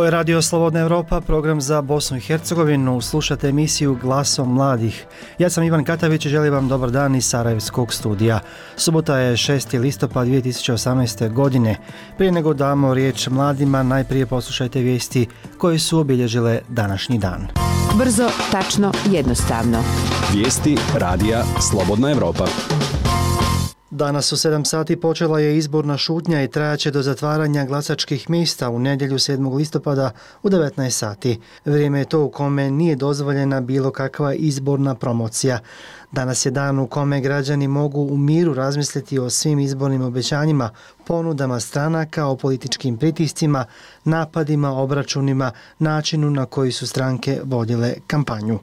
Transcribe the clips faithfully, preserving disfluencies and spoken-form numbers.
Ovo je Radio Slobodna Evropa, program za Bosnu i Hercegovinu. Slušate emisiju Glasom mladih. Ja sam Ivan Katavić i želim vam dobar dan iz Sarajevskog studija. Subota je šesti listopad dvije tisuće osamnaeste. godine. Prije nego damo riječ mladima, najprije poslušajte vijesti koje su obilježile današnji dan. Brzo, tačno, jednostavno. Vijesti Radija Slobodna Evropa. Danas u sedam sati počela je izborna šutnja i trajaće do zatvaranja glasačkih mjesta u nedjelju sedmog listopada u devetnaest sati. Vrijeme je to u kome nije dozvoljena bilo kakva izborna promocija. Danas je dan u kome građani mogu u miru razmisliti o svim izbornim obećanjima, ponudama stranaka, o političkim pritiscima, napadima, obračunima, načinu na koji su stranke vodile kampanju.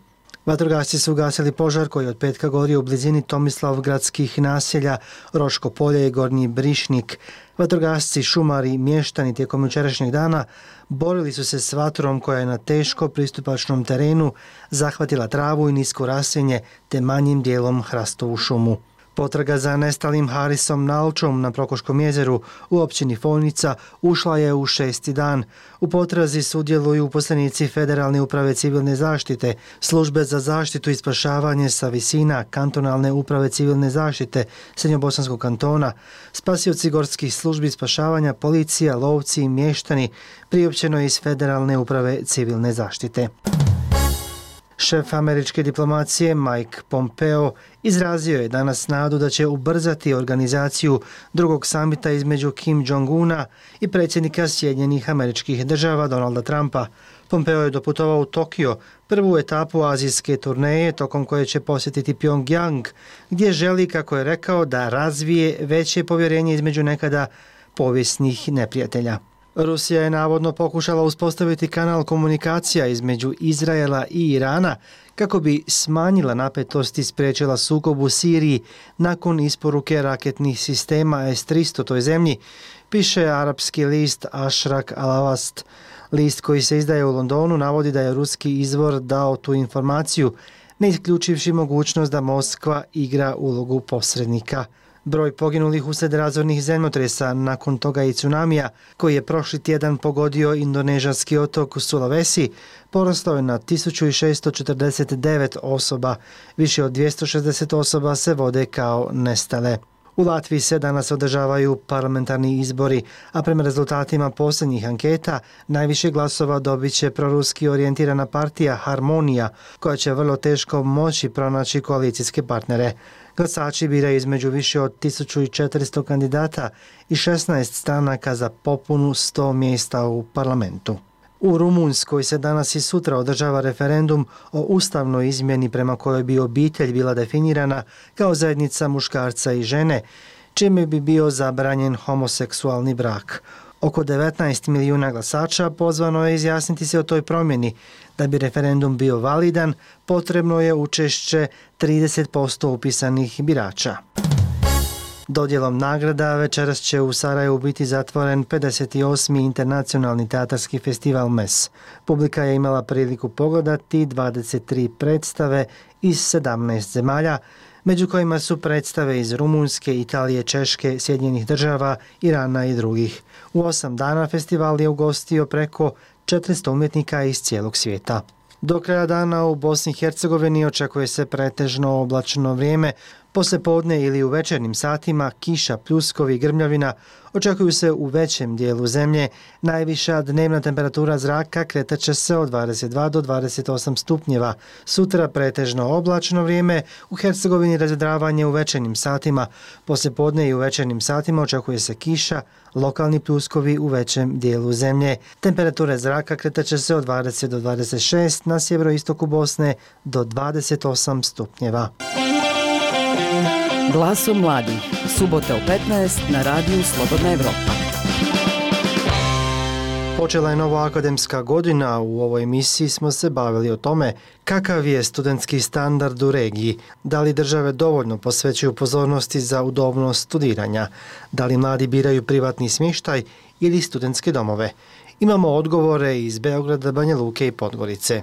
Vatrogasci su ugasili požar koji od petka gorio u blizini Tomislavgradskih naselja Roško polje i Gornji Brišnik. Vatrogasci, šumari, mještani tijekom jučerašnjeg dana borili su se s vatrom koja je na teško pristupačnom terenu zahvatila travu i nisko raslinje te manjim dijelom hrastovu šumu. Potraga za nestalim Harisom Nalčom na Prokoškom jezeru u općini Folnica ušla je u šesti dan. U potrazi sudjeluju uposlenici Federalne uprave civilne zaštite, Službe za zaštitu i spašavanje sa visina, Kantonalne uprave civilne zaštite Srednjobosanskog kantona, spasioci gorskih službi spašavanja, policija, lovci i mještani, priopćeno iz Federalne uprave civilne zaštite. Šef američke diplomacije Mike Pompeo izrazio je danas nadu da će ubrzati organizaciju drugog samita između Kim Jong-una i predsjednika Sjedinjenih Američkih Država Donalda Trumpa. Pompeo je doputovao u Tokio, prvu etapu azijske turneje tokom koje će posjetiti Pyongyang, gdje želi, kako je rekao, da razvije veće povjerenje između nekada povijesnih neprijatelja. Rusija je navodno pokušala uspostaviti kanal komunikacija između Izraela i Irana kako bi smanjila napetost i spriječila sukob u Siriji nakon isporuke raketnih sistema es tristo toj zemlji, piše arapski list Ashrak Al-Awast. List koji se izdaje u Londonu navodi da je ruski izvor dao tu informaciju, ne isključivši mogućnost da Moskva igra ulogu posrednika. Broj poginulih uslijed razornih zemljotresa, nakon toga i tsunamija, koji je prošli tjedan pogodio indonežanski otok Sulawesi, porastao je na tisuću šeststo četrdeset devet osoba. Više od dvjesto šezdeset osoba se vode kao nestale. U Latviji se danas održavaju parlamentarni izbori, a prema rezultatima posljednjih anketa najviše glasova dobit će proruski orijentirana partija Harmonija, koja će vrlo teško moći pronaći koalicijske partnere. Glasači biraju između više od tisuću četiristo kandidata i šesnaest stranaka za popunu sto mjesta u parlamentu. U Rumunjskoj se danas i sutra održava referendum o ustavnoj izmjeni prema kojoj bi obitelj bila definirana kao zajednica muškarca i žene, čime bi bio zabranjen homoseksualni brak. Oko devetnaest milijuna glasača pozvano je izjasniti se o toj promjeni. Da bi referendum bio validan, potrebno je učešće trideset posto upisanih birača. Dodjelom nagrada večeras će u Sarajevu biti zatvoren pedeset osmi internacionalni teatarski festival M E S. Publika je imala priliku pogledati dvadeset tri predstave iz sedamnaest zemalja, među kojima su predstave iz Rumunjske, Italije, Češke, Sjedinjenih Država, Irana i drugih. U osam dana festival je ugostio preko četiristo umjetnika iz cijelog svijeta. Do kraja dana u Bosni i Hercegovini očekuje se pretežno oblačno vrijeme. Poslijepodne ili u večernjim satima kiša, pljuskovi i grmljavina očekuju se u većem dijelu zemlje. Najviša dnevna temperatura zraka kretat će se od dvadeset dva do dvadeset osam stupnjeva. Sutra pretežno oblačno vrijeme, u Hercegovini razvedravanje u večernjim satima. Poslijepodne i u večernjim satima očekuje se kiša, lokalni pljuskovi u većem dijelu zemlje. Temperature zraka kretat će se od dvadeset do dvadeset šest, na sjeveroistoku Bosne do dvadeset osam stupnjeva. Glasom mladih. Subota u petnaest na radiju Slobodna Evropa. Počela je nova akademska godina. U ovoj emisiji smo se bavili o tome kakav je studentski standard u regiji, da li države dovoljno posvećuju pozornosti za udobnost studiranja, da li mladi biraju privatni smještaj ili studentske domove. Imamo odgovore iz Beograda, Banja Luke i Podgorice.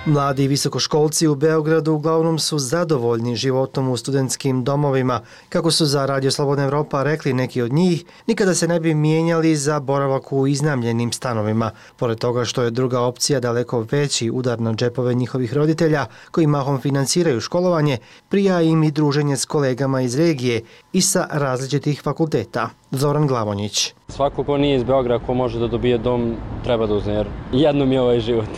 Mladi visokoškolci u Beogradu uglavnom su zadovoljni životom u studentskim domovima. Kako su za Radio Slobodna Evropa rekli neki od njih, nikada se ne bi mijenjali za boravak u iznajmljenim stanovima. Pored toga što je druga opcija daleko veći udar na džepove njihovih roditelja, koji mahom finansiraju školovanje, prija im i druženje s kolegama iz regije i sa različitih fakulteta. Zoran Glavonjić. Svako ko nije iz Beograda, ko može da dobije dom, treba da uzme, jer jednom je ovaj život.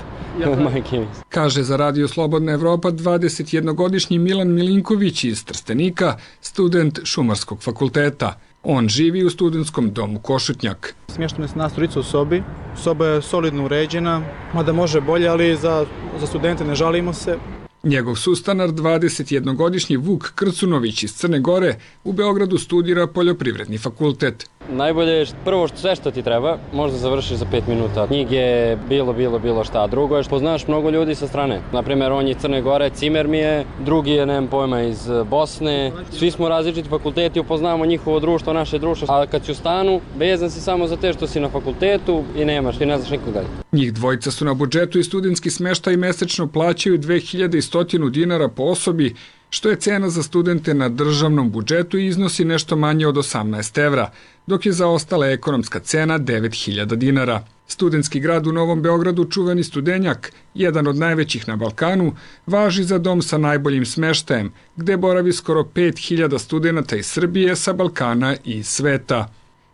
Kaže za Radio Slobodna Evropa dvadesetjednogodišnji Milan Milinković iz Trstenika, student Šumarskog fakulteta. On živi u studentskom domu Košutnjak. Smješteno je nas trojica u sobi. Soba je solidno uređena, mada može bolje, ali za, za studente ne žalimo se. Njegov sustanar, dvadesetjednogodišnji Vuk Krcunović iz Crne Gore, u Beogradu studira poljoprivredni fakultet. Najbolje je prvo što sve što ti treba, možda završiš za pet minuta. Knjige, bilo, bilo, bilo šta. Drugo je što poznaš mnogo ljudi sa strane. Naprimjer, on je iz Crne Gore, cimer mi je, drugi je, nemam pojma, iz Bosne. Svi smo različiti fakulteti, upoznamo njihovo društvo, naše društvo. A kad si u stanu, vezan si samo za te što si na fakultetu i nemaš, ti ne znaš nikoga. Njih dvojica su na budžetu i studentski smještaj mesečno plaćaju dve hiljade sto dinara po osobi, što je cena za studente na državnom budžetu i iznosi nešto manje od osamnaest evra, dok je za ostale ekonomska cena devet hiljada dinara. Studentski grad u Novom Beogradu, čuveni Studenjak, jedan od najvećih na Balkanu, važi za dom sa najboljim smeštajem, gde boravi skoro pet hiljada studenata iz Srbije, sa Balkana i sveta.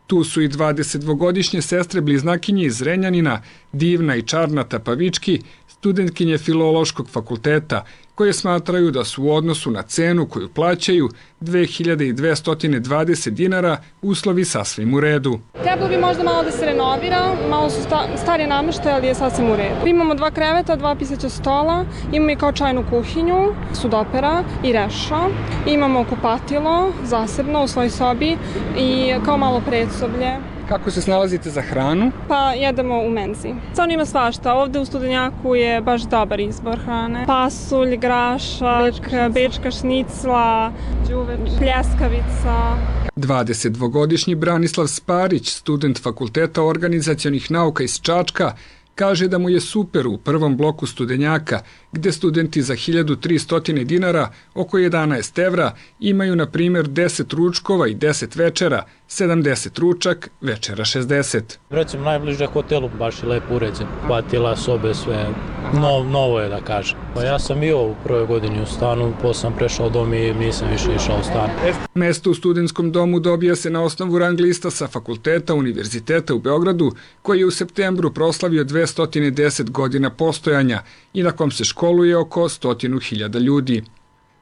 Tu su i dvadesetdvogodišnje sestre bliznakinje iz Renjanina, Divna i Čarnata Pavički, studentkinje Filološkog fakulteta, koje smatraju da su u odnosu na cenu koju plaćaju dve hiljade dvesta dvadeset dinara uslovi sasvim u redu. Trebalo bi možda malo da se renovira, malo su sta, stari namještaj, ali je sasvim u redu. Imamo dva kreveta, dva pisaća stola, imamo i kao čajnu kuhinju, sudopera i reša, imamo kupatilo zasebno u svojoj sobi i kao malo predsoblje. Kako se snalazite za hranu? Pa jedemo u menzi. Stvarno ima svašta. Ovde u Studenjaku je baš dobar izbor hrane. Pasulj, grašak, bečka, bečka šnicla, đuveč, pljeskavica. dvadesetdvogodišnji Branislav Sparić, student Fakulteta organizacionih nauka iz Čačka, kaže da mu je super u prvom bloku Studenjaka, gde studenti za hiljadu tristo dinara, oko jedanaest evra, imaju na primjer deset ručkova i deset večera, sedamdeset ručak, večera šezdeset. Recimo najbliže hotelu, baš je lepo uređen, patila, sobe, sve no, novo je da kažem. Pa ja sam bio u prvoj godini u stanu, posle sam prešao dom i nisam više išao u stan. Mesto u studentskom domu dobija se na osnovu rang lista sa Fakulteta Univerziteta u Beogradu, koji je u septembru proslavio dvesta deset godina postojanja i na kom se školuje oko stotinu hiljada ljudi.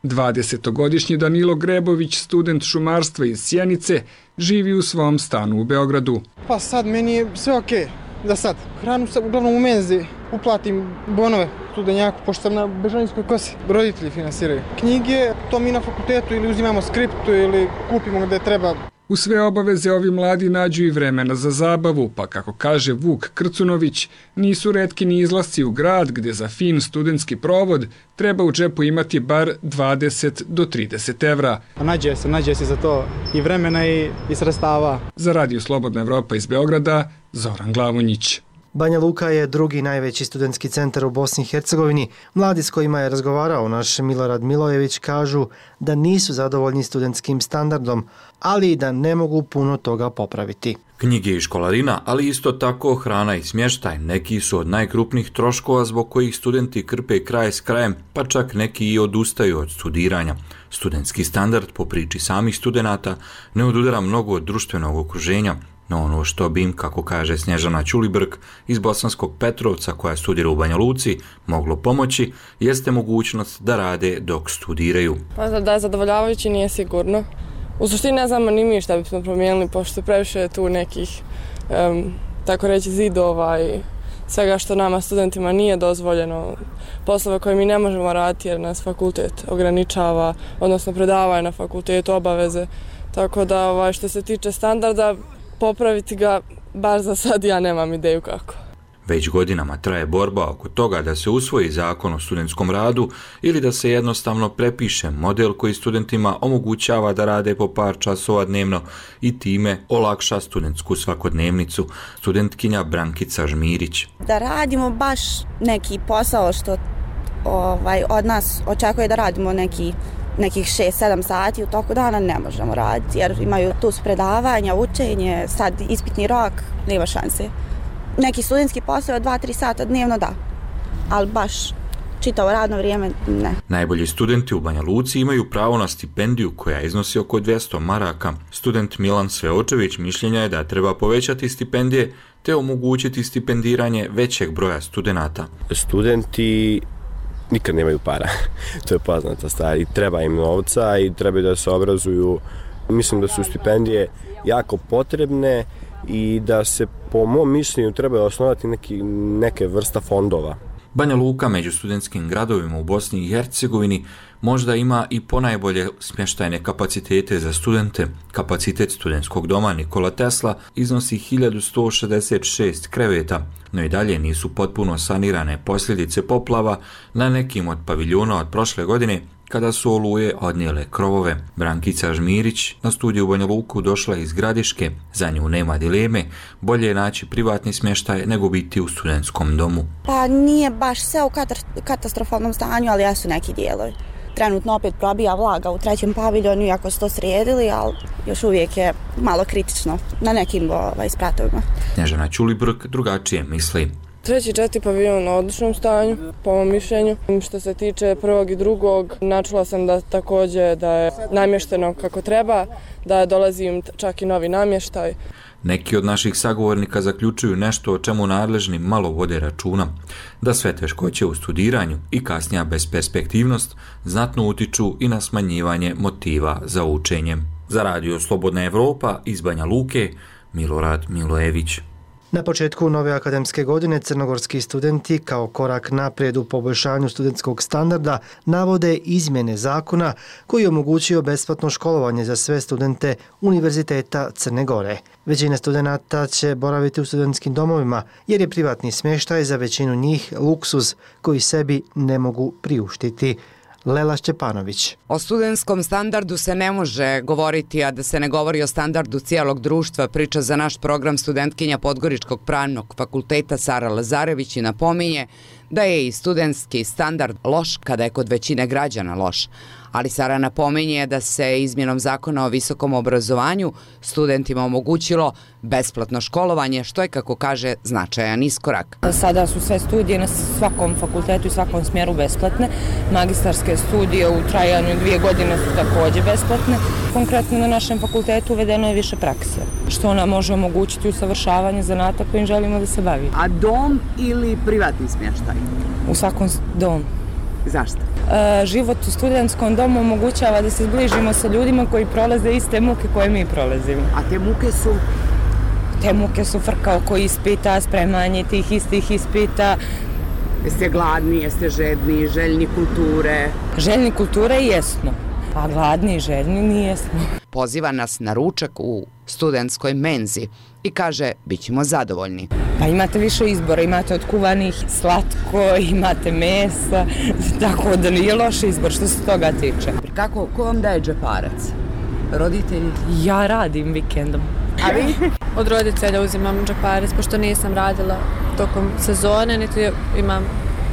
dvadesetogodišnji Danilo Grebović, student šumarstva iz Sjenice, živi u svom stanu u Beogradu. Pa sad meni je sve okej, da sad. Hranu sam uglavnom u menzi, uplatim bonove Studenjaku, pošto sam na Bežanijskoj kosi. Roditelji finansiraju. Knjige, to mi na fakultetu ili uzimamo skriptu ili kupimo gde treba. U sve obaveze ovi mladi nađu i vremena za zabavu, pa kako kaže Vuk Krcunović, nisu retki ni izlasci u grad gdje za fin studentski provod treba u džepu imati bar dvadeset do trideset evra. Nađe se, nađe se za to i vremena i, i sredstava. Za Radio Slobodna Evropa iz Beograda, Zoran Glavonjić. Banja Luka je drugi najveći studentski centar u Bosni i Hercegovini. Mladi s kojima je razgovarao naš Milorad Milojević kažu da nisu zadovoljni studentskim standardom, ali i da ne mogu puno toga popraviti. Knjige i školarina, ali isto tako hrana i smještaj, neki su od najkrupnijih troškova zbog kojih studenti krpe kraj s krajem, pa čak neki i odustaju od studiranja. Studentski standard, po priči samih studenata, ne odudara mnogo od društvenog okruženja, no ono što bi im, kako kaže Snježana Ćulibrk iz Bosanskog Petrovca koja studira u Banja Luci, moglo pomoći, jeste mogućnost da rade dok studiraju. Pa da je zadovoljavajući nije sigurno. U suštini ne znamo ni mi šta bismo promijenili, pošto previše je tu nekih, um, tako reći, zidova i svega što nama studentima nije dozvoljeno, poslove koje mi ne možemo raditi jer nas fakultet ograničava, odnosno predavanje na fakultetu, obaveze. Tako da ovaj, što se tiče standarda, popraviti ga, bar za sad ja nemam ideju kako. Već godinama traje borba oko toga da se usvoji zakon o studentskom radu ili da se jednostavno prepiše model koji studentima omogućava da rade po par časova dnevno i time olakša studentsku svakodnevnicu. Studentkinja Brankica Žmirić. Da radimo baš neki posao što ovaj, od nas očekuje da radimo neki, nekih šest sedam sati u toku dana, ne možemo raditi jer imaju tu predavanja, učenje, sad ispitni rok, nema šanse. Neki studentski posao od dva tri sata dnevno da, ali baš čitavo radno vrijeme ne. Najbolji studenti u Banja Luci imaju pravo na stipendiju koja iznosi oko dvjesto maraka. Student Milan Sveočević mišljenja je da treba povećati stipendije te omogućiti stipendiranje većeg broja studenata. Studenti nikad nemaju para, to je poznata stvar i treba im novca i treba da se obrazuju. Mislim da su stipendije jako potrebne i da se po mom mišljenju treba osnovati neki, neke vrsta fondova. Banja Luka među studentskim gradovima u Bosni i Hercegovini možda ima i ponajbolje smještajne kapacitete za studente. Kapacitet studentskog doma Nikola Tesla iznosi hiljadu sto šezdeset šest kreveta, no i dalje nisu potpuno sanirane posljedice poplava na nekim od paviljona od prošle godine kada su oluje odnijele krovove. Brankica Žmirić na studiju u Banja Luku došla iz Gradiške, za nju nema dileme, bolje je naći privatni smještaj nego biti u studentskom domu. Pa nije baš sve u katastrofalnom stanju, ali jesu neki dijelovi. Trenutno opet probija vlaga u trećem paviljonu, iako su to sredili, ali još uvijek je malo kritično na nekim ovaj, spratovima. Snježana Ćulibrk drugačije misli. Treći i četiri paviljon na odličnom stanju, po mom mišljenju. Što se tiče prvog i drugog, načula sam da također da je namješteno kako treba, da dolazi im čak i novi namještaj. Neki od naših sagovornika zaključuju nešto o čemu nadležni malo vode računa, da sve teškoće u studiranju i kasnija besperspektivnost znatno utiču i na smanjivanje motiva za učenjem. Za Radio Slobodna Evropa iz Banja Luke, Milorad Milojević. Na početku nove akademske godine crnogorski studenti kao korak naprijed u poboljšanju studentskog standarda navode izmjene zakona koji je omogućio besplatno školovanje za sve studente Univerziteta Crne Gore. Većina studenata će boraviti u studentskim domovima jer je privatni smještaj za većinu njih luksuz koji sebi ne mogu priuštiti. Lela Šćepanović. O studentskom standardu se ne može govoriti, a da se ne govori o standardu cijelog društva, priča za naš program studentkinja Podgoričkog pravnog fakulteta Sara Lazarević i napominje da je i studentski standard loš kada je kod većine građana loš. Ali Sara napominje da se izmjenom zakona o visokom obrazovanju studentima omogućilo besplatno školovanje, što je, kako kaže, značajan iskorak. Sada su sve studije na svakom fakultetu i svakom smjeru besplatne. Magistarske studije u trajanju dvije godine su također besplatne. Konkretno na našem fakultetu uvedeno je više prakse, što nam može omogućiti usavršavanje zanata kojim želimo da se bavimo. A dom ili privatni smještaj? U svakom dom. Zašto? E, život u studentskom domu omogućava da se zbližimo sa ljudima koji prolaze iste muke koje mi prolazimo. A te muke su? Te muke su frka oko ispita, spremanje tih istih ispita. Jeste gladni, jeste žedni, željni kulture? Željni kulture jesmo, a gladni i željni nijesmo. Poziva nas na ručak u studentskoj menzi i kaže, bit ćemo zadovoljni. Pa imate više izbora, imate od kuvanih slatko, imate mesa, tako da nije loš izbor što se toga tiče. Kako, ko vam daje džeparac? Roditelji? Ja radim vikendom. A vi? Od roditelja uzimam džeparac, pošto nisam radila tokom sezone, niti imam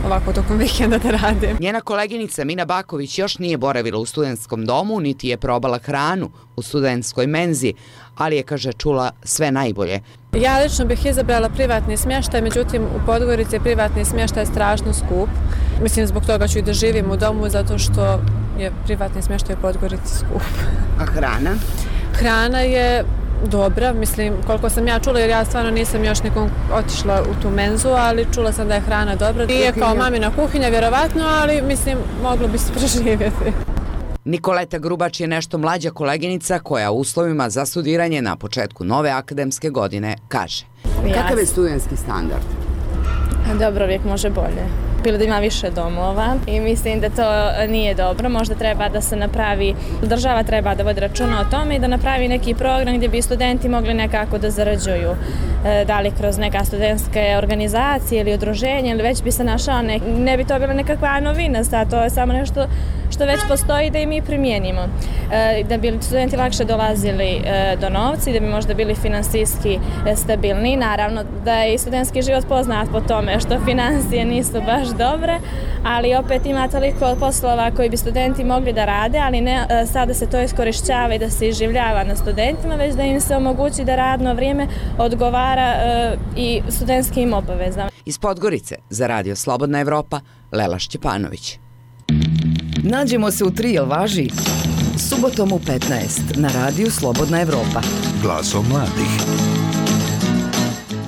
ovako tokom vikenda da radim. Njena koleginica Mina Baković još nije boravila u studentskom domu, niti je probala hranu u studentskoj menzi, ali je, kaže, čula sve najbolje. Ja lično bih izabrala privatni smještaj, međutim u Podgorici je privatni smještaj strašno skup. Mislim, zbog toga ću i da živim u domu, zato što je privatni smještaj u Podgorici skup. A hrana? Hrana je dobra, mislim, koliko sam ja čula, jer ja stvarno nisam još nikom otišla u tu menzu, ali čula sam da je hrana dobra. Nije kao mamina kuhinja, vjerovatno, ali mislim, moglo bi se preživjeti. Nikoleta Grubač je nešto mlađa koleginica koja u uslovima za studiranje na početku nove akademske godine kaže. Kakav je studentski standard? Dobro, uvijek može bolje. Bilo da ima više domova i mislim da to nije dobro. Možda treba da se napravi, država treba da vodi računa o tome i da napravi neki program gdje bi studenti mogli nekako da zarađuju. Da li kroz neka studentske organizacije ili udruženje, ili već bi se našao, ne, ne bi to bila nekakva novina, sad to je samo nešto što što već postoji da i mi primijenimo. Da bi studenti lakše dolazili do novca i da bi možda bili finansijski stabilni. Naravno da je i studentski život poznat po tome što financije nisu baš dobre, ali opet ima toliko poslova koji bi studenti mogli da rade, ali ne sada se to iskorišćava i da se iživljava na studentima, već da im se omogući da radno vrijeme odgovara i studentskim obavezama. Iz Podgorice za Radio Slobodna Evropa, Lela Šćepanović. Nađemo se u tri, jel važi? Subotom u petnaest na Radiju Slobodna Evropa. Glasom mladih.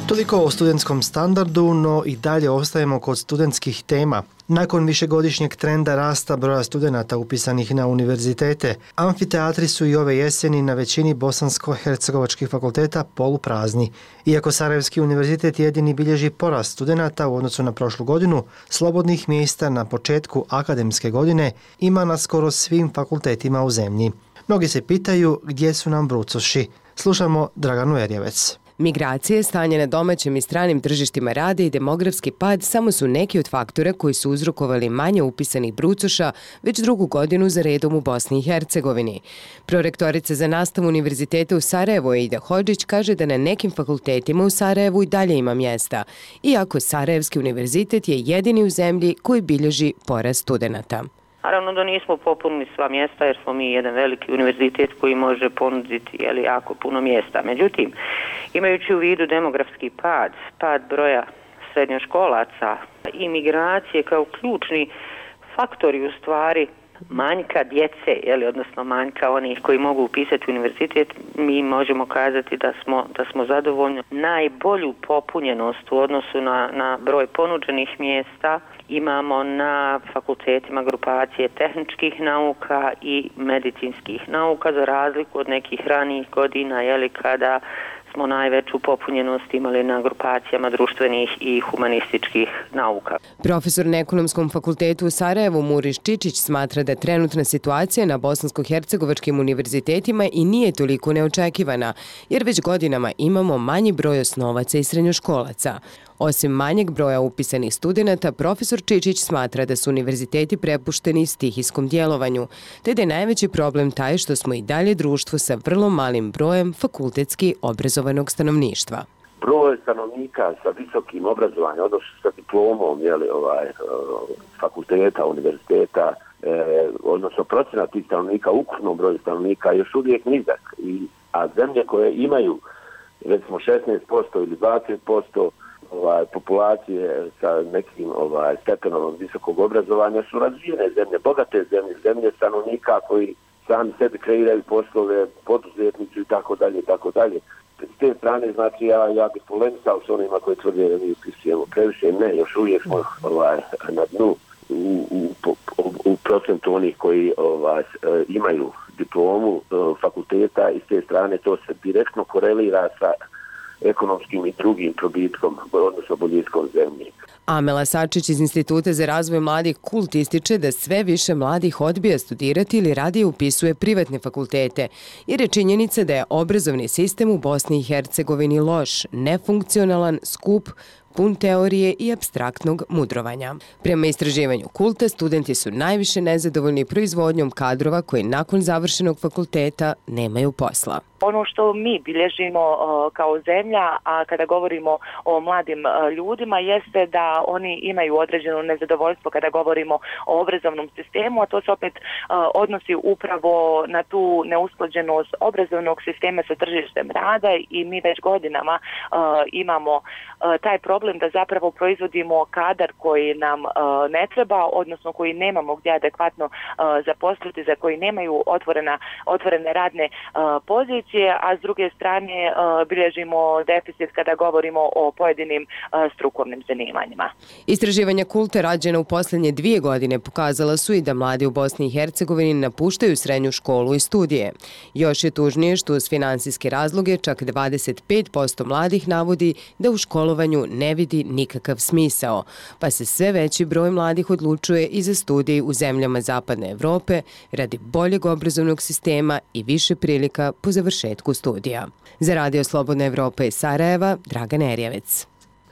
Toliko o studentskom standardu, no i dalje ostajemo kod studentskih tema. Nakon višegodišnjeg trenda rasta broja studenata upisanih na univerzitete, amfiteatri su i ove jeseni na većini bosansko-hercegovačkih fakulteta poluprazni. Iako Sarajevski univerzitet jedini bilježi porast studenata u odnosu na prošlu godinu, slobodnih mjesta na početku akademske godine ima na skoro svim fakultetima u zemlji. Mnogi se pitaju gdje su nam brucoši. Slušamo Draganu Erjevec. Migracije, stanje na domaćim i stranim tržištima rada i demografski pad samo su neki od faktora koji su uzrokovali manje upisanih brucoša već drugu godinu za redom u Bosni i Hercegovini. Prorektorica za nastavu Univerziteta u Sarajevu Eida Hodžić kaže da na nekim fakultetima u Sarajevu i dalje ima mjesta, iako Sarajevski univerzitet je jedini u zemlji koji bilježi porast studenata. Naravno da nismo popunili sva mjesta jer smo mi jedan veliki univerzitet koji može ponuditi jeli, jako puno mjesta. Međutim, imajući u vidu demografski pad, pad broja srednjoškolaca i migracije kao ključni faktori u stvari manjka djece, jeli, odnosno manjka onih koji mogu upisati univerzitet, mi možemo kazati da smo, da smo zadovoljni. Najbolju popunjenost u odnosu na, na broj ponuđenih mjesta imamo na fakultetima grupacije tehničkih nauka i medicinskih nauka, za razliku od nekih ranijih godina, jeli, kada smo najveću popunjenost imali na grupacijama društvenih i humanističkih nauka. Profesor na Ekonomskom fakultetu u Sarajevu Muriš Čičić smatra da trenutna situacija na bosansko-hercegovačkim univerzitetima i nije toliko neočekivana, jer već godinama imamo manji broj osnovaca i srednjoškolaca. Osim manjeg broja upisanih studenata, profesor Čičić smatra da su univerziteti prepušteni stihijskom djelovanju, te da je najveći problem taj što smo i dalje društvo sa vrlo malim brojem fakultetski obrazovanog stanovništva. Broj stanovnika sa visokim obrazovanjem, odnosno sa diplomom jeli, ovaj, fakulteta, univerziteta, eh, odnosno procenat tih stanovnika, ukupnom broju stanovnika je još uvijek nizak. I, a zemlje koje imaju recimo šesnaest posto ili dvadeset posto ovaj, populacije sa nekim ovaj, stepenom visokog obrazovanja su razvijene zemlje, bogate zemlje, zemlje stanovnika koji sami sebi kreiraju poslove, poduzetnici i tako dalje i tako dalje. S te strane, znači, ja, ja bih polemisao s onima koji tvrde da mi upisujemo previše. Ne, još uvijek smo ovaj, na dnu u, u, u, u procentu onih koji ovaj, imaju diplomu fakulteta i s te strane to se direktno korelira sa ekonomskim i drugim probitkom, odnosno boljitkom zemlje. Amela Sačić iz Instituta za razvoj mladih Kult ističe da sve više mladih odbija studirati ili radije upisuje privatne fakultete, jer je činjenica da je obrazovni sistem u Bosni i Hercegovini loš, nefunkcionalan, skup, pun teorije i apstraktnog mudrovanja. Prema istraživanju Kulta, studenti su najviše nezadovoljni proizvodnjom kadrova koji nakon završenog fakulteta nemaju posla. Ono što mi bilježimo uh, kao zemlja, a kada govorimo o mladim uh, ljudima, jeste da oni imaju određeno nezadovoljstvo kada govorimo o obrazovnom sistemu, a to se opet uh, odnosi upravo na tu neusklađenost obrazovnog sistema sa tržištem rada i mi već godinama uh, imamo uh, taj problem da zapravo proizvodimo kadar koji nam uh, ne treba, odnosno koji nemamo gdje adekvatno uh, zaposliti, za koji nemaju otvorena, otvorene radne uh, pozicije, a s druge strane uh, bilježimo deficit kada govorimo o pojedinim uh, strukovnim zanimanjima. Istraživanja Kulta rađena u posljednje dvije godine pokazala su i da mladi u Bosni i Hercegovini napuštaju srednju školu i studije. Još je tužnije što uz finansijske razloge čak dvadeset pet posto mladih navodi da u školovanju ne vidi nikakav smisao, pa se sve veći broj mladih odlučuje i za studij u zemljama Zapadne Evrope radi boljeg obrazovnog sistema i više prilika po završetku studija. Za Radio Slobodna Evropa iz Sarajeva, Dragana Erjevec.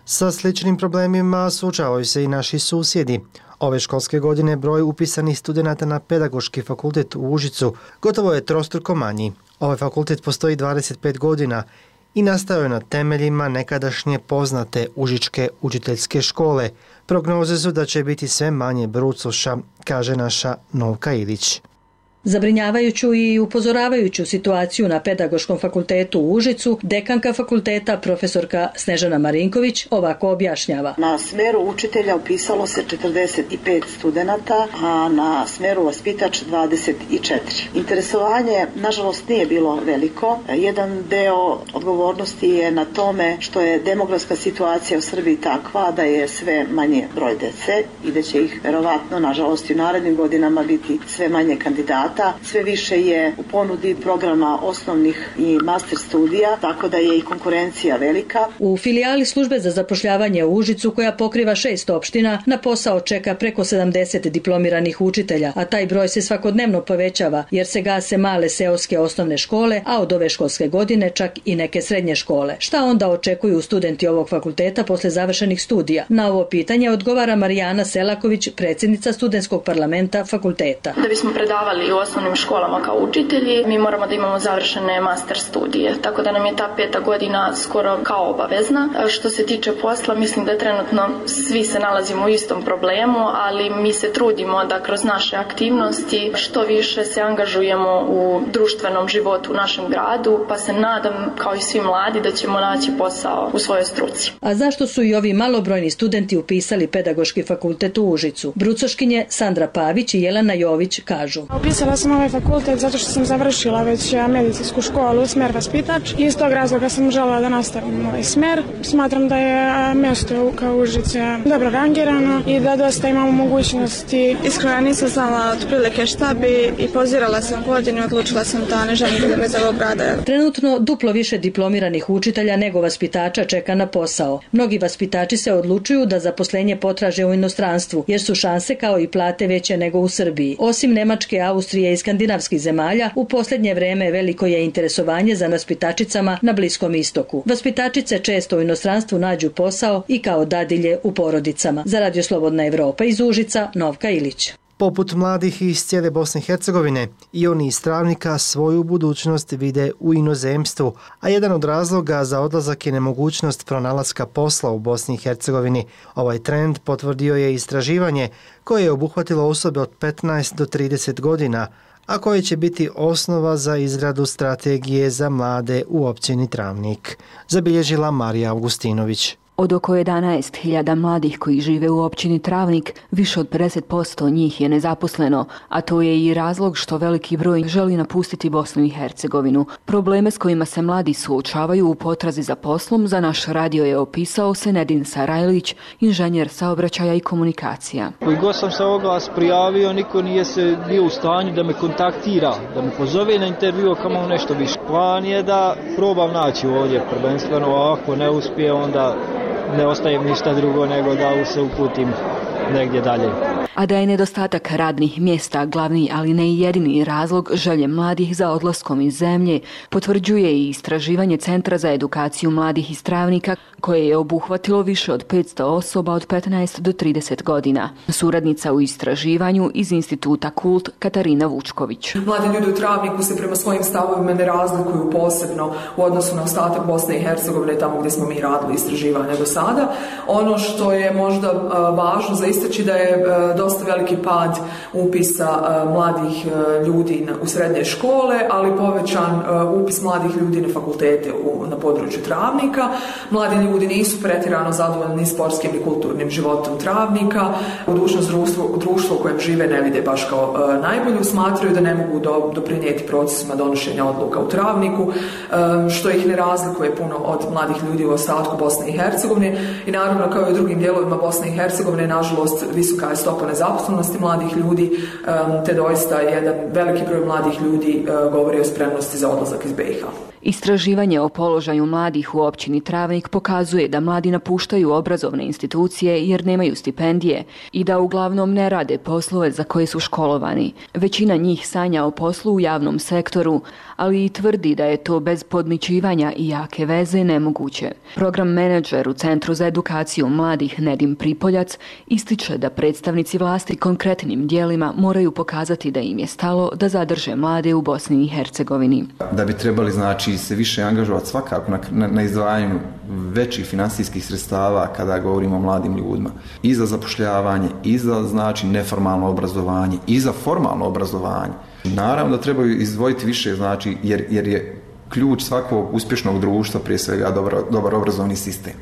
Sa sličnim problemima suočavaju se i naši susjedi. Ove školske godine broj upisanih studenata na Pedagoški fakultet u Užicu gotovo je trostruko manji. Ovaj fakultet postoji dvadeset pet godina i nastao je na temeljima nekadašnje poznate Užičke učiteljske škole. Prognoze su da će biti sve manje brucoša, kaže naša Novka Ilić. Zabrinjavajuću i upozoravajuću situaciju na Pedagoškom fakultetu u Užicu, dekanka fakulteta profesorka Snežana Marinković ovako objašnjava. Na smeru učitelja upisalo se četrdeset pet studenata, a na smeru vaspitač dvadeset četiri. Interesovanje, nažalost, nije bilo veliko. Jedan deo odgovornosti je na tome što je demografska situacija u Srbiji takva da je sve manje broj dece i da će ih verovatno, nažalost, i u narednim godinama biti sve manje kandidata. Sve više je u ponudi programa osnovnih i master studija, tako da je i konkurencija velika. U filijali službe za zapošljavanje u Užicu, koja pokriva šest opština, na posao čeka preko sedamdeset diplomiranih učitelja, a taj broj se svakodnevno povećava jer se gase male seoske osnovne škole, a od ove školske godine čak i neke srednje škole. Šta onda očekuju studenti ovog fakulteta posle završenih studija? Na ovo pitanje odgovara Marijana Selaković, predsjednica studentskog parlamenta fakulteta. Da bismo predavali u osnovnim školama kao učitelji, mi moramo da imamo završene master studije, tako da nam je ta peta godina skoro kao obavezna. Što se tiče posla, mislim da trenutno svi se nalazimo u istom problemu, ali mi se trudimo da kroz naše aktivnosti što više se angažujemo u društvenom životu u našem gradu, pa se nadam, kao i svi mladi, da ćemo naći posao u svojoj struci. A zašto su i ovi malobrojni studenti upisali Pedagoški fakultet u Užicu? Brucoškinje Sandra Pavić i Jelena Jović kažu. Upisala sam ovaj fakultet zato što sam završila već medicinsku školu, smer vaspitač. Iz tog razloga sam željela da nastavim ovaj smer. Smatram da je mjesto kao Užice dobro rangirano i da dosta imamo mogućnosti. Iskreno nisam znala otprilike šta bi i pozirala sam godinu i odlučila sam da ne želim da bez ovog rada. Trenutno duplo više diplomiranih učitelja nego vaspitača čeka na posao. Mnogi vaspitači se odlučuju da zaposlenje potraže u inostranstvu jer su šanse kao i plate veće nego u Srbiji. Osim Nemačke, Austrije i skandinavskih zemalja, u posljednje vreme veliko je interesovanje za vaspitačicama na Bliskom istoku. Vaspitačice često u inostranstvu nađu posao i kao dadilje u porodicama. Za Radio Slobodna Evropa iz Užica, Novka Ilić. Poput mladih iz cijele Bosne i Hercegovine, i oni iz Travnika svoju budućnost vide u inozemstvu, a jedan od razloga za odlazak je nemogućnost pronalaska posla u Bosni i Hercegovini. Ovaj trend potvrdio je istraživanje koje je obuhvatilo osobe od petnaest do trideset godina, a koje će biti osnova za izradu strategije za mlade u općini Travnik, zabilježila Marija Augustinović. Od oko jedanaest hiljada mladih koji žive u općini Travnik, više od pedeset posto njih je nezaposleno, a to je i razlog što veliki broj želi napustiti Bosnu i Hercegovinu. Probleme s kojima se mladi suočavaju u potrazi za poslom za naš radio je opisao Senedin Sarajlić, inženjer saobraćaja i komunikacija. Koji god sam se oglas prijavio, niko nije se bio u stanju da me kontaktira, da me pozove na intervju, kamo nešto više. Plan je da probam naći ovdje prvenstveno, a ako ne uspije, onda ne ostaje ništa drugo nego da se uputim negdje dalje. A da je nedostatak radnih mjesta glavni, ali ne i jedini razlog želje mladih za odlaskom iz zemlje, potvrđuje i istraživanje Centra za edukaciju mladih iz Travnika, koje je obuhvatilo više od petsto osoba od petnaest do trideset godina. Suradnica u istraživanju iz Instituta Kult Katarina Vučković. Mladi ljudi u Travniku se prema svojim stavovima ne razlikuju posebno u odnosu na ostatak Bosne i Hercegovine, tamo gdje smo mi radili istraživanje do sada. Ono što je možda važno za istaći da je dosta veliki pad upisa mladih ljudi u srednje škole, ali povećan upis mladih ljudi na fakultete na području Travnika. Mladi ljudi nisu pretjerano zadovoljni sportskim i kulturnim životom Travnika. Budućnost društva u kojem žive ne vide baš kao najbolju, smatraju da ne mogu doprinijeti procesima donošenja odluka u Travniku, što ih ne razlikuje puno od mladih ljudi u ostatku Bosne i Hercegovine. I naravno, kao i u drugim dijelovima Bosne i Hercegovine, nažalost, visoka je stopa nezaposlenosti mladih ljudi, te doista jedan veliki broj mladih ljudi govori o spremnosti za odlazak iz B i H. Istraživanje o položaju mladih u općini Travnik pokazuje da mladi napuštaju obrazovne institucije jer nemaju stipendije i da uglavnom ne rade poslove za koje su školovani. Većina njih sanja o poslu u javnom sektoru, ali i tvrdi da je to bez podmićivanja i jake veze nemoguće. Program menadžer u Centru za edukaciju mladih Nedim Pripoljac ističe da predstavnici vlasti konkretnim dijelima moraju pokazati da im je stalo da zadrže mlade u Bosni i Hercegovini. Da bi trebali znači se više angažovati svakako na, na, na izdvajanju većih financijskih sredstava kada govorimo o mladim ljudima. I za zapošljavanje, i za znači neformalno obrazovanje, i za formalno obrazovanje. Naravno da trebaju izdvojiti više, znači, jer, jer je ključ svakog uspješnog društva prije svega dobar, dobar obrazovni sistem.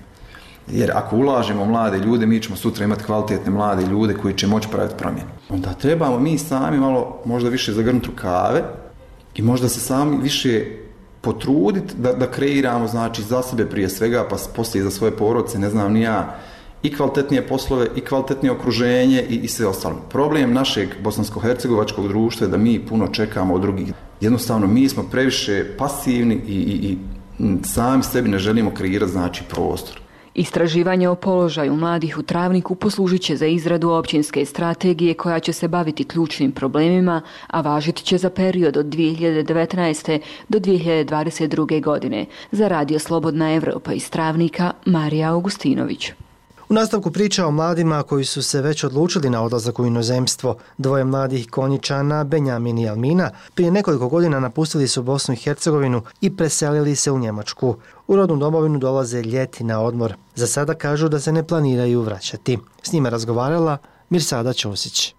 Jer ako ulažemo mlade ljude, mi ćemo sutra imati kvalitetne mlade ljude koji će moći praviti promjene. Onda trebamo mi sami malo možda više zagrnuti rukave i možda se sami više potruditi da, da kreiramo znači za sebe prije svega, pa poslije za svoje porodice, ne znam ni ja, i kvalitetnije poslove, i kvalitetnije okruženje i, i sve ostalo. Problem našeg bosansko-hercegovačkog društva je da mi puno čekamo od drugih. Jednostavno, mi smo previše pasivni i, i, i sami sebi ne želimo kreirati znači prostor. Istraživanje o položaju mladih u Travniku poslužit će za izradu općinske strategije koja će se baviti ključnim problemima, a važit će za period od dvije hiljade devetnaeste. do dvije hiljade dvadeset druge. godine. Za Radio Slobodna Evropa iz Travnika, Marija Augustinović. U nastavku priča o mladima koji su se već odlučili na odlazak u inozemstvo. Dvoje mladih Konjičana, Benjamin i Almina, prije nekoliko godina napustili su Bosnu i Hercegovinu i preselili se u Njemačku. U rodnu domovinu dolaze ljeti na odmor. Za sada kažu da se ne planiraju vraćati. S njima razgovarala Mirsada Ćosić.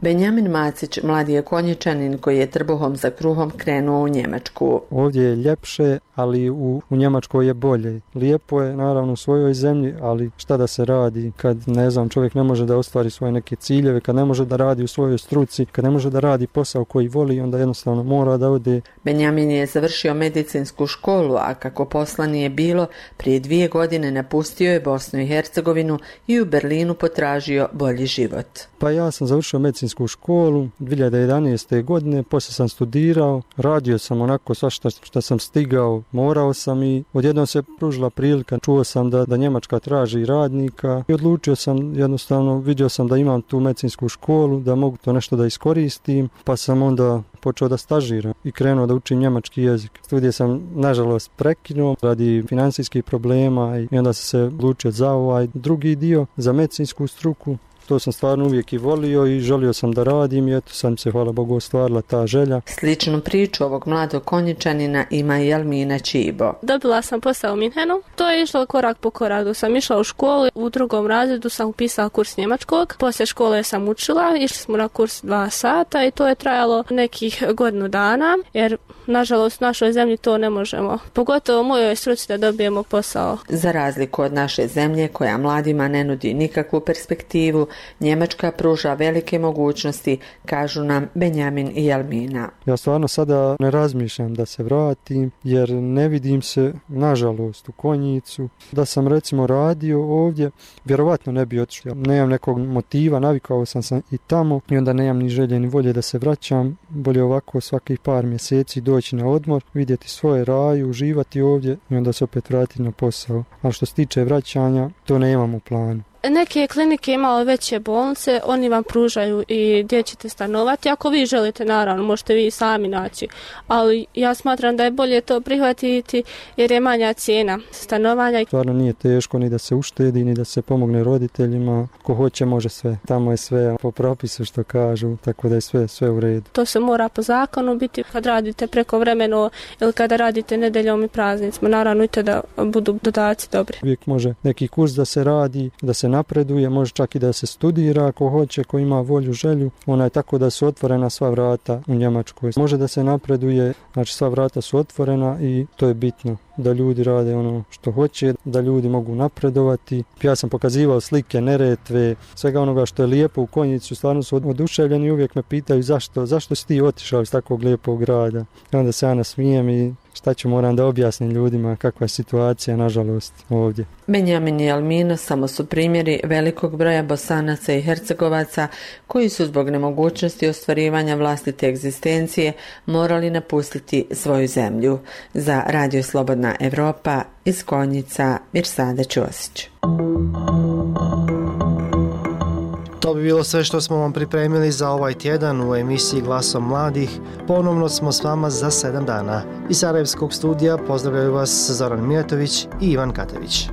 Benjamin Macić, mladi je Konjičanin koji je trbuhom za kruhom krenuo u Njemačku. Ovdje je ljepše, ali u, u Njemačkoj je bolje. Lijepo je naravno u svojoj zemlji, ali šta da se radi kad, ne znam, čovjek ne može da ostvari svoje neke ciljeve, kad ne može da radi u svojoj struci, kad ne može da radi posao koji voli, onda jednostavno mora da ode. Benjamin je završio medicinsku školu, a kako posla nije bilo, prije dvije godine napustio je Bosnu i Hercegovinu i u Berlinu potražio bolji život. Pa ja sam završio medicinsku školu dvije hiljade jedanaeste. godine, poslije sam studirao, radio sam onako sva šta, šta sam stigao, morao sam i odjednom se pružila prilika, čuo sam da, da Njemačka traži radnika i odlučio sam jednostavno, vidio sam da imam tu medicinsku školu, da mogu to nešto da iskoristim, pa sam onda počeo da stažiram i krenuo da učim njemački jezik. Studije sam nažalost prekinuo radi financijskih problema i onda sam se odlučio za ovaj drugi dio, za medicinsku struku. To sam stvarno uvijek i volio i želio sam da radim i eto sam se, hvala Bogu, ostvarila ta želja. Sličnu priču ovog mladog Konjičanina ima i Almina Čibo. Dobila sam posao u Minhenu. To je išlo korak po korak. Dok sam išla u školu, u drugom razredu sam upisala kurs njemačkog. Poslije škole sam učila, išli smo na kurs dva sata i to je trajalo nekih godinu dana, jer nažalost u našoj zemlji to ne možemo. Pogotovo u mojoj struci da dobijemo posao. Za razliku od naše zemlje koja mladima ne nudi nikakvu perspektivu, Njemačka pruža velike mogućnosti, kažu nam Benjamin i Almina. Ja stvarno sada ne razmišljam da se vratim, jer ne vidim se, nažalost, u Konjicu. Da sam recimo radio ovdje, vjerovatno ne bi otišao. Nemam nekog motiva, navikao sam se i tamo i onda nemam ni želje ni volje da se vraćam. Bolje ovako svakih par mjeseci doći na odmor, vidjeti svoje raje, uživati ovdje i onda se opet vratiti na posao. Ali što se tiče vraćanja, to nemam u planu. Neke klinike imaju veće bolnice, oni vam pružaju i gdje ćete stanovati. Ako vi želite, naravno, možete vi sami naći. Ali ja smatram da je bolje to prihvatiti jer je manja cijena stanovanja. Stvarno nije teško ni da se uštedi, ni da se pomogne roditeljima. Ko hoće, može sve. Tamo je sve po propisu što kažu, tako da je sve, sve u redu. To se mora po zakonu biti kad radite prekovremeno ili kada radite nedeljom i praznicima. Naravno i to da budu dodaci dobri. Uvijek može neki kurs da se radi, da se napreduje, može čak i da se studira ako hoće, ko ima volju, želju. Ona je tako da su otvorena sva vrata u Njemačkoj. Može da se napreduje, znači sva vrata su otvorena i to je bitno. Da ljudi rade ono što hoće, da ljudi mogu napredovati. Ja sam pokazivao slike Neretve, svega onoga što je lijepo u Konjicu, stvarno su oduševljeni i uvijek me pitaju zašto, zašto si ti otišao iz takvog lijepog grada. I onda se ja nasmijem i šta ću moram da objasnim ljudima kakva je situacija, nažalost, ovdje. Benjamin i Almino samo su primjeri velikog broja Bosanaca i Hercegovaca koji su zbog nemogućnosti ostvarivanja vlastite egzistencije morali napustiti svoju zemlju. Za Radio Slobodna Evropa iz Konjica, Mirsada Ćosić. To bi bilo sve što smo vam pripremili za ovaj tjedan u emisiji Glasom mladih. Ponovno smo s vama za sedam dana. Iz Sarajevskog studija pozdravljaju vas Zoran Mijatović i Ivan Katević.